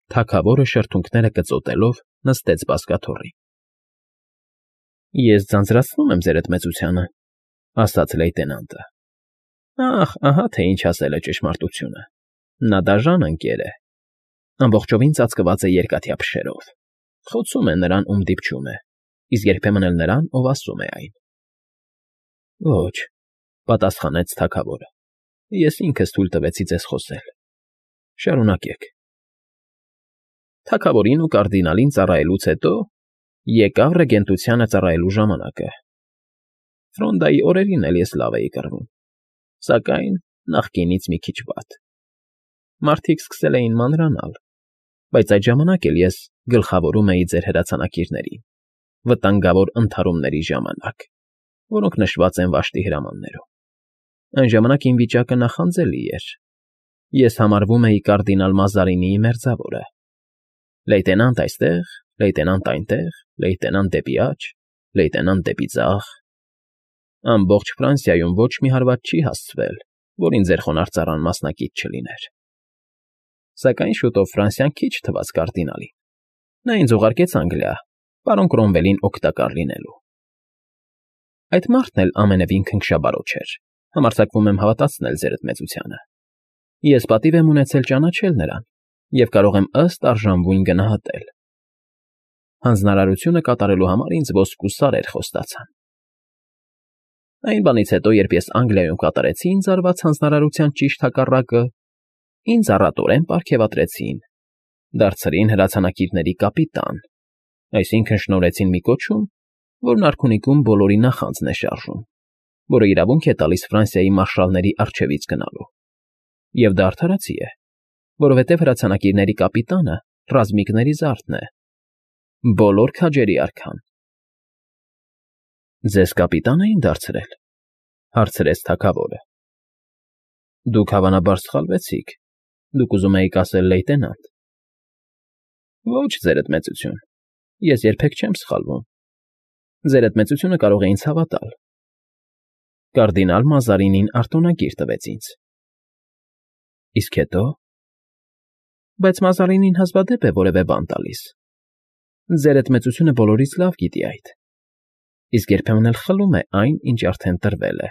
Թագավորը շրթունքները կծոտելով նստեց բազկաթոռին։ ֊ Ես ձանձրացնում եմ ձեր էդմեծությանը, ֊ ասաց լեյտենանտը։ ֊ Ահա թե ինչ ասել է ճշմարտությունը. նա դաժան ընկեր է, ամբողջովին ծածկված է երկաթյա փշերով, խոցում է նրան, ում դիպչում է, իսկ երբեմն էլ նրան, ով ասում է այն։ ֊ Ոչ, ֊ պատասխանեց թագավորը, ես ինքս թույլ տվեցի ձեզ խոսել. շարունակեք։ Թագավորին ու կարդինալին ծառայելուց հետո եկավ ռեգենտությանը ծառայելու ժամանակը։ Ֆրոնդայի օրերին էլ ես լավ էի կռվում, սակայն նախկինից մի քիչ վատ։ Մարդիկ սկսել էին մանրանալ, բայց այդ ժամանակ էլ ես գլխավորում էի ձեր հրացանակիրներին, վտանգավոր ընդհարումների ժամանակ, որոնք նշված են վաշտի հրամաններում։ Այն ժամանակ իմ վիճակը նախանձելի էր։ Ես համարվում էի կարդինալ Մազարինիի մերձավորը։ Լեյտենանտ այստեղ, լեյտենանտ այնտեղ, լեյտենանտ դեպի աջ, լեյտենանտ դեպի ձախ։ Ամբողջ Ֆրանսիայում ոչ մի հարված չի հասցվել, որին ձեր խոնարհծառան մասնակից չլիներ։ Սակայն շուտով Ֆրանսիան քիչ թվաց կարդինալին։ Նա ինձ ուղարկեց Անգլիա, պարոն Կրոմվելին օգտակար լինելու։ Այդ մարդն էլ ամենևին քնքշաբարոջ էր, համարձակվում եմ հավատացնել ձեր էդմեծությանը։ Ես պատիվ եմ ունեցել ճանաչել նրան և կարող եմ ըստ արժանվույն գնահատել։ Հանձնարարությունը կատարելու համար ինձ ոսկու սարեր խոստացան։ Այն բանից հետո, երբ ես Անգլիայում կատարեցի ինձ արված հանձնարարության ճիշտ հակառակը, ինձ առատորեն պարգևատրեցին, դարձրին հրացանակիրների կապիտան, այսինքն շնորհեցին մի կոչում, որն արքունիքում բոլորի նախանձն է շարժում, որը իրավունք է տալիս Ֆրանսիայի մարշալների առջևից գնալու։ Եվ դա արդարացի է, որովհետև հրացանակիրների կապիտանը ռազմիկների զարդն է, բոլոր քաջերի արքան։ ֊ Ձեզ կապիտան էին դարձրել, ֊ հարցրեց թագավորը։ ֊ Դուք հավանաբար սխալվեցիք, դուք ուզում էիք ասել լեյտենանտ։ ֊ Ոչ, ձեր էդմեծություն, ես երբեք չեմ սխալվում։ Ձեր էդմեծությունը կարող է ինձ հավատալ։ Կարդինալ Մազարինին արտոնագիր տվեց ինձ։ ֊ Իսկ հետո։ Բայց Մազարինին հազվադեպ է որևէ բան տալիս։ Ձեր էդմեծությունը բոլորից լավ գիտի այդ, իսկ երբեմն էլ խլում է այն, ինչ արդեն տրվել է։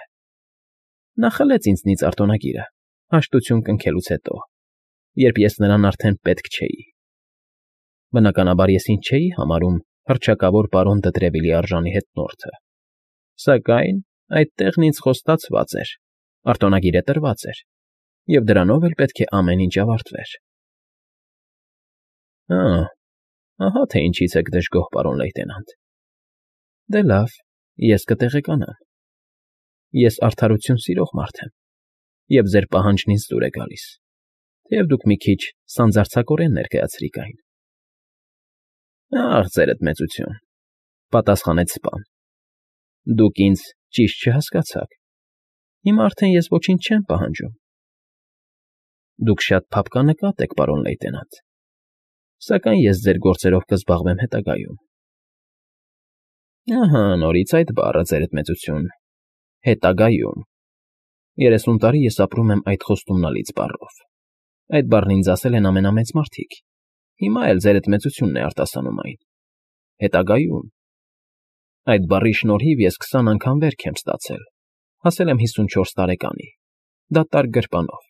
Նա խլեց ինձնից արտոնագիրը, հաշտություն կնքելուց հետո, երբ ես նրան արդեն պետք չէի։ Բնականաբար ես ինձ չէի համարում հռչակավոր պարոն Դտրևիլի արժանի հետնորդը, սակայն այդ տեղն ինձ խոստացված էր, արտոնագիրը տրված էր, և դրանով էլ պետք է ամեն ինչ ավարտվեր։ Ահա թե ինչից եք դժգոհ, պարոն լեյտենանտ։ Դե լավ, ես կտեղեկանամ։ Ես արդարություն սիրող մարդ եմ, և ձեր պահանջն ինձ դուր է գալիս, թեև դուք մի քիչ սանձարձակորեն ներկայացրիք այն։ Ախ, ձեր էդմեծություն, ֊ պատասխանեց սպան, ֊ դուք ինձ ճիշտ չհասկացաք։ Հիմա արդեն ես ոչինչ չեմ պահանջում։ Դուք շատ փափկանկատ եք, պարոն լեյտենանտ, սակայն ես ձեր գործերով կզբաղվեմ հետագայում։ Ահա նորից այդ բառը, ձեր էդմեծություն, հետագայում։ 30 տարի ես ապրում եմ այդ խոստումնալից բառով։ Այդ բառն ինձ ասել են ամենամեծ մարդիկ, հիմա էլ ձեր էդմեծությունն է արտասանում այն։ Հետագայում։ Այդ բառի շնորհիվ ես 20 անգամ վերք եմ ստացել, հասել եմ 54 տարեկանի, դատարկ գրպանով,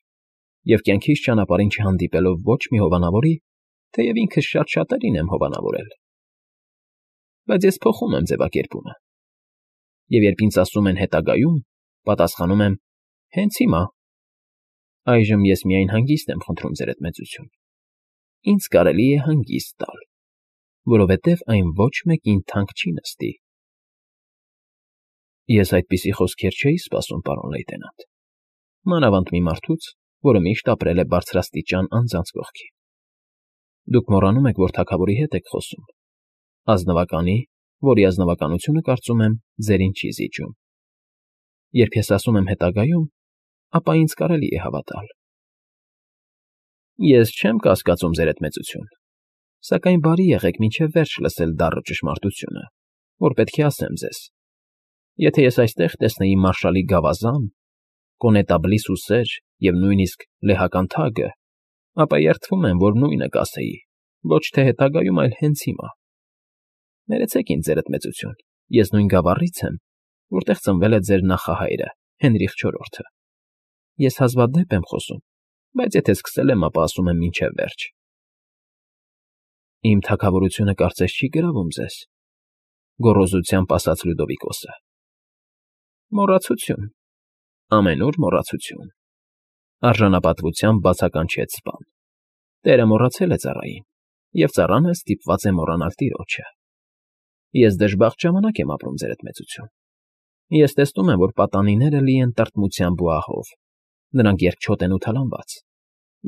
և կյանքիս ճանապարհին չհանդիպելով ոչ մի հովանավորի, թեև ինքս շատ շատերին եմ հովանավորել։ Բայց ես փոխում եմ ձևակերպումը։ Եվ երբ ինձ ասում են հետագայում, պատասխանում եմ հենց հիմա։ Այժմ ես միայն հանգիստ եմ խնդրում, ձեր էդմեծություն։ Ինձ կարելի է հանգիստ տալ, որովհետև այն ոչ մեկին թանկ չի նստի։ Ես այդպիսի խոսքեր չէի սպասում, պարոն լեյտենանտ, մանավանդ մի մարդուց, որը միշտ ապրել է բարձրաստիճան անձանց կողքին։ Դուք մոռանում եք, որ թագավորի հետ եք խոսում, ազնվականի, որի ազնվականությունը, կարծում եմ, ձերին չի զիջում։ Երբ ես ասում եմ հետագայում, ապա ինձ կարելի է հավատալ։ Ես չեմ կասկածում, ձեր էդմեծություն, սակայն բարի եղեք մինչև վերջ լսել դառը ճշմարտությունը, որ պետք է ասեմ ձեզ։ Եթե ես այստեղ տեսնեի մարշալի գավազան, կոնետաբլի սուսեր և նույնիսկ լեհական թագը, ապա երդվում եմ, որ նույնը կասեի, Ոչ թե հետագայում, այլ հենց հիմա։ Ներեցեք ինձ, ձերդ մեծություն, ես նույն գավառից եմ, որտեղ ծնվել է ձեր նախահայրը, Հենրիխ IV-ը։ Ես հազվադեպ եմ խոսում, բայց եթե սկսել եմ, ապա ասում եմ մինչև վերջ։ Իմ թագավորությունը կարծես չի գրավում ձեզ, գոռոզությամբ ասաց Լյուդովիկոսը։ Մոռացություն, ամենուր մոռացություն, արժանապատվությամբ բացականչեց սպան։ Տերը մոռացել է ծառային, և ծառանը ստիպված է մոռանալ տիրոջը։ Ես դժբախտ ժամանակ եմ ապրում, ձերդ մեծություն։ Ես տեսնում եմ, որ պատանիները լի են տրտմությամբ ու ահով, նրանք երկչոտ են ու թալանված,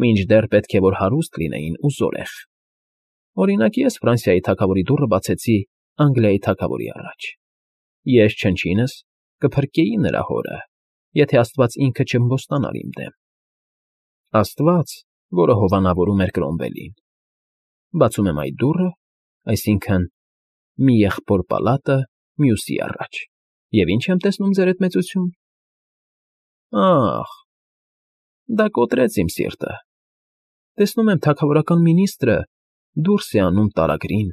մինչդեռ պետք է որ հարուստ լինեին ու զորեղ։ Օրինակ, ես Ֆրանսիայի թագավորի դուռը բացեցի Անգլիայի թագավորի առաջ։ Ես չնչինս կփրկեի նրա հորը, եթե Աստված ինքը չըմբոստանար իմ դեմ։ Աստված, որը հովանավորում էր Կրոմվելին։ Բացում եմ այդ դուռը, այսինքն՝ մի եղբոր պալատը մյուսի առաջ, և ինչ եմ տեսնում, ձերդ մեծություն։ Ախ, դա կոտրեց իմ սիրտը։ Տեսնում եմ թագավորական մինիստրը դուրս է անում տարագրին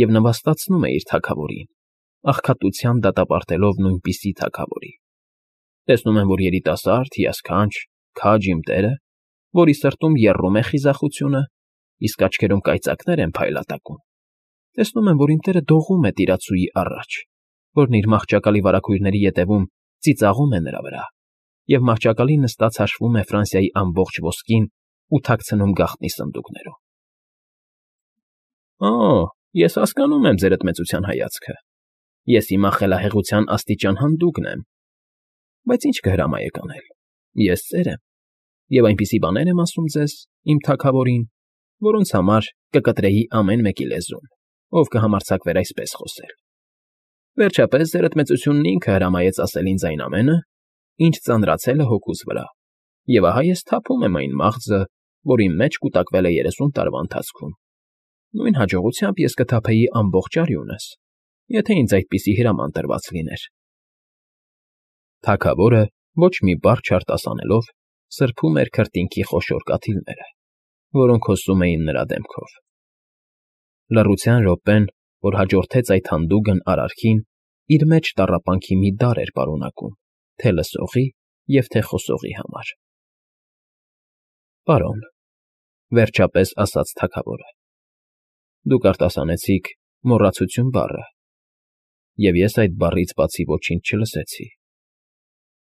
և նվաստացնում է իր թագավորին, աղքատության դատապարտելով նույնպիսի թագավորի։ Տեսնում եմ, որ երիտասարդ, հիասքանչ, քաջ իմ տերը, որի սրտում եռում է խիզախությունը, իսկ աչքերում կայծակներ են փայլատակում։ Տեսնում եմ, որ իմ տերը դողում է տիրացուի առաջ, որն իր մահճակալի վարագույրների ետևում ծիծաղում է նրա վրա, և մահճակալին նստած հաշվում է Ֆրանսիայի ամբողջ ոսկին ու թաքցնում գաղտնի սնդուկներում։ Օ, ես հասկանում եմ ձերդ մեծության հայացքը։ Ես հիմա խելահեղության աստիճան հանդուգն եմ։ Բայց ինչ կհրամայեք անել։ Ես ծեր եմ, և այնպիսի բաներ եմ ասում ձեզ, իմ թագավորին, որոնց համար կկտրեի ամեն մեկի լեզուն, ով կհամարձակվեր այսպես խոսել։ Վերջապես, ձերդ մեծությունն ինքը հրամայեց ասել ինձ այն ամենը, ինչ ծանրացել է հոգուս վրա, և ահա ես թափում եմ այն մաղձը, որ իմ մեջ կուտակվել է 30 տարվա ընթացքում։ Նույն հաջողությամբ ես կթափեի ամբողջ արյունս, եթե ինձ այդպիսի հրաման տրված լիներ։ Թագավորը ոչ մի բառ չարտասանելով սրբում էր քրտինքի խոշոր կաթիլները, որոնք հոսում էին նրա դեմքով։ Լռության րոպեն, որ հաջորդեց այդ հանդուգն արարքին, իր մեջ տառապանքի մի դար էր պարունակում թե՛ լսողի և թե՛ խոսողի համար։ Պարոն, վերջապես ասաց թագավորը, դուք արտասանեցիք «մոռացություն» բառը, և ես այդ բառից բացի ոչինչ չլսեցի։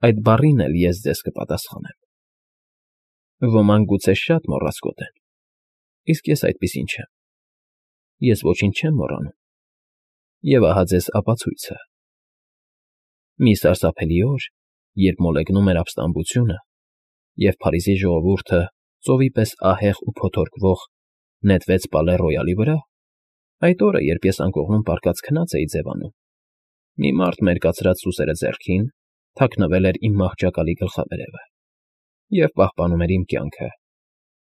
Այդ բառին էլ ես ձեզ կպատասխանեմ։ Ոմանք գուցե շատ մոռաց կոտեն, իսկ ես այդպիսին չեմ։ Ես ոչինչ չեմ մոռանում, և ահա ձեզ ապացույցը։ Մի սարսափելի օր, երբ մոլեգնում էր ապստամբությունը, և Փարիզի ժողովուրդը, ծովի պես ահեղ ու փոթորկվող, նետվեց Պալե Ռոյալի վրա, այդ օրը, երբ ես անկողնում պառկած քնած էի ձևանում, մի մարդ մերկացրած սուսերը ձեռքին թաքնվել էր իմ մահճակալի գլխավերևը և պահպանում էր իմ կյանքը,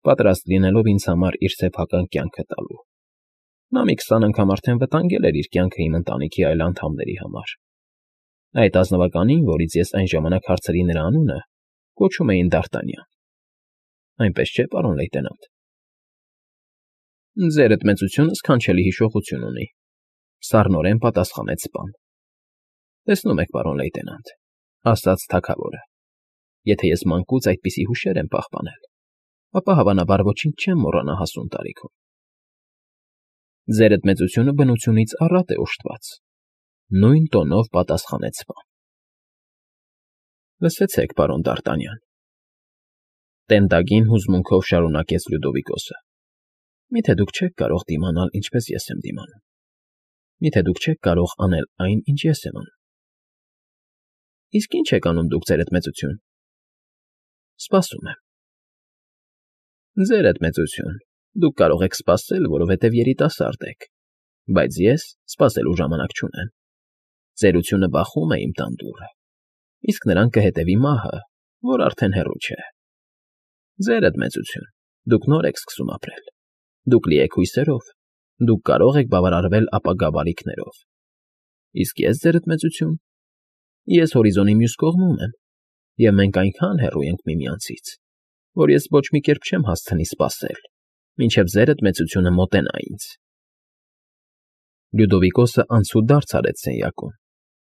պատրաստ լինելով ինձ համար իր սեփական կյանքը տալու։ Նա մի 20 անգամ արդեն վտանգել էր իր կյանքը իմ ընտանիքի այլ անդամների համար։ Այդ ազնվականին, որից ես այն ժամանակ հարցրի նրա անունը, կոչում էին Դ'Արտանյան։ Այնպես չէ, պարոն լեյտենանտ։ Ձերդ մեծությունը սքանչելի հիշողություն ունի, սառնորեն պատասխանեց սպան։ Տեսնում եք, պարոն լեյտենանտ, ասաց թագավորը, եթե ես մանկուց այդպիսի հուշեր եմ պահպանել, ապա հավանաբար ոչինչ չեմ մոռանա հասուն տարիքում։ Ձերդ մեծությունը բնությունից առատ է ուշտված, նույն տոնով պատասխանեց սպան։ Լսեցեք, պարոն Դ'Արտանյան, տենդագին հուզմունքով շարունակեց Լյուդովիկոսը։ Միթե դուք չեք կարող դիմանալ, ինչպես ես եմ դիմանում։ Միթե դուք չեք կարող անել այն, ինչ ես եմ անում։ Իսկ ի՞նչ եք անում դուք, ձերդ մեծություն։ Սպասում եմ։ Ձերդ մեծություն, դուք կարող եք սպասել, որովհետև երիտասարդ եք, բայց ես սպասելու ժամանակ չունեմ։ Ծերությունը բախում է իմ տան դուռը, իսկ նրան կհետևի մահը, որ արդեն հեռու չէ։ Ձերդ մեծություն, դուք նոր եք սկսում ապրել, դուք լի եք հույսերով, դուք կարող եք բավարարվել ապագա բարիքներով։ Իսկ ես, ձերդ մեծություն, ես հորիզոնի մյուս կողմում եմ, և մենք այնքան հեռու ենք միմյանցից, որ ես ոչ մի կերպ չեմ հասցնի սպասել, մինչև ձերդ մեծությունը մոտենա ինձ։ Լյուդովիկոսը անցուդարձ արեց սենյակում,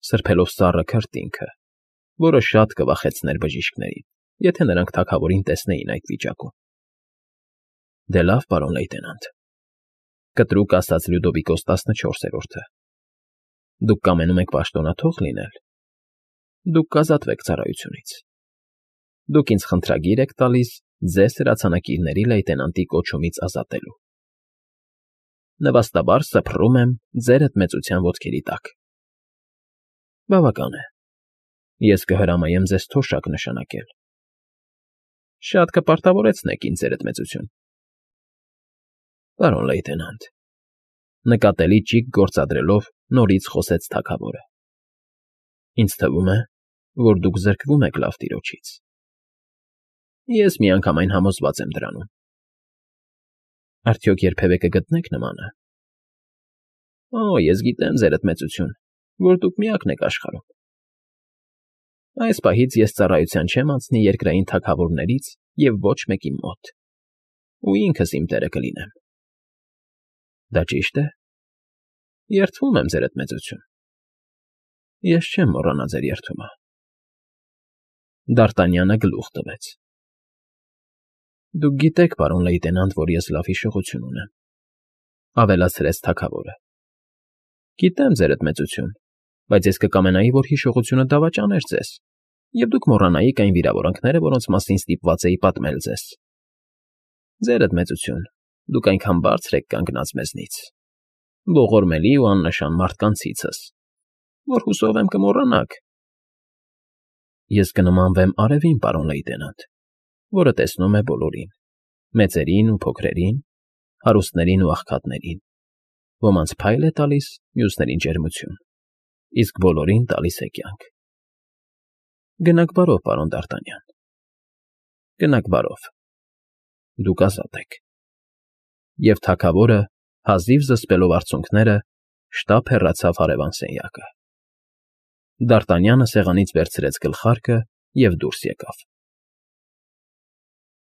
սրբելով սառը քրտինքը, որը շատ կվախեցներ բժիշկներին, եթե նրանք թագավորին տեսնեին այդ վիճակում։ Դե լավ, պարոն լեյտենանտ,֊ կտրուկ ասաց Լյուդովիկոս 14-րդը։ Դուք կամենում եք պաշտոնաթող լինել։ Դուք կազատվեք ծառայությունից։ Դուք ինձ խնդրագիր եք տալիս ձեզ հրացանակիրների լեյտենանտի կոչումից ազատելու։ Նվաստաբար սփռում եմ ձերդ մեծության ոտքերի տակ։ Բավական է։ Ես կհրամայեմ ձեզ թոշակ նշանակել։ Շատ կպարտավորեցնեք ինձ, ձերդ մեծություն։ Պարոն լեյտենանտ,֊ նկատելի ճիգ գործադրելով նորից խոսեց թագավորը,֊ ինձ թվում է, որ դուք զրկվում եք լավ տիրոջից։ Ես միանգամայն համոզված եմ դրանում։ Արդյոք երբևէ կգտնեք նմանը։ Օ, ես գիտեմ, ձերդ մեծություն, որ դուք միակն եք աշխարհում։ Այս պահից ես ծառայության չեմ անցնի երկրային թագավորներից և ոչ մեկի մոտ, ու ինքս իմ տերը կլինեմ։ Դա ճի՞շտ է։ Երդվում եմ, ձերդ մեծություն։ Ես չեմ մոռանա ձեր երդումը։ Դ'Արտանյանը գլուխ տվեց։ Դուք գիտեք, պարոն լեյտենանտ, որ ես լավ հիշողություն ունեմ,֊ ավելացրեց թագավորը։ Գիտեմ, ձերդ մեծություն, բայց ես կկամենայի, որ հիշողությունը դավաճաներ ձեզ, և դուք մոռանայիք այն վիրավորանքները, որոնց մասին ստիպված էի պատմել ձեզ։ Ձերդ մեծություն, դուք այնքան բարձր եք կանգնած մեզնից, ողորմելի ու աննշան մարդկանցիցս, որ հուսով եմ կմոռանաք։ Ես կնմանվեմ արևին, պարոն լեյտենանտ, որը տեսնում է բոլորին, մեծերին ու փոքրերին, հարուստներին ու աղքատներին, ոմանց փայլ է տալիս, մյուսներին ջերմություն, իսկ բոլորին տալիս է կյանք։ Գնաք բարով, պարոն Դ'Արտանյան, գնաք բարով, դուք ազատ եք։ Եվ թագավորը, հազիվ զսպելով արցունքները, շտապ հեռացավ հարևան սենյակը։ Դ'Արտանյանը սեղանից վերցրեց գլխարկը և դուրս եկավ։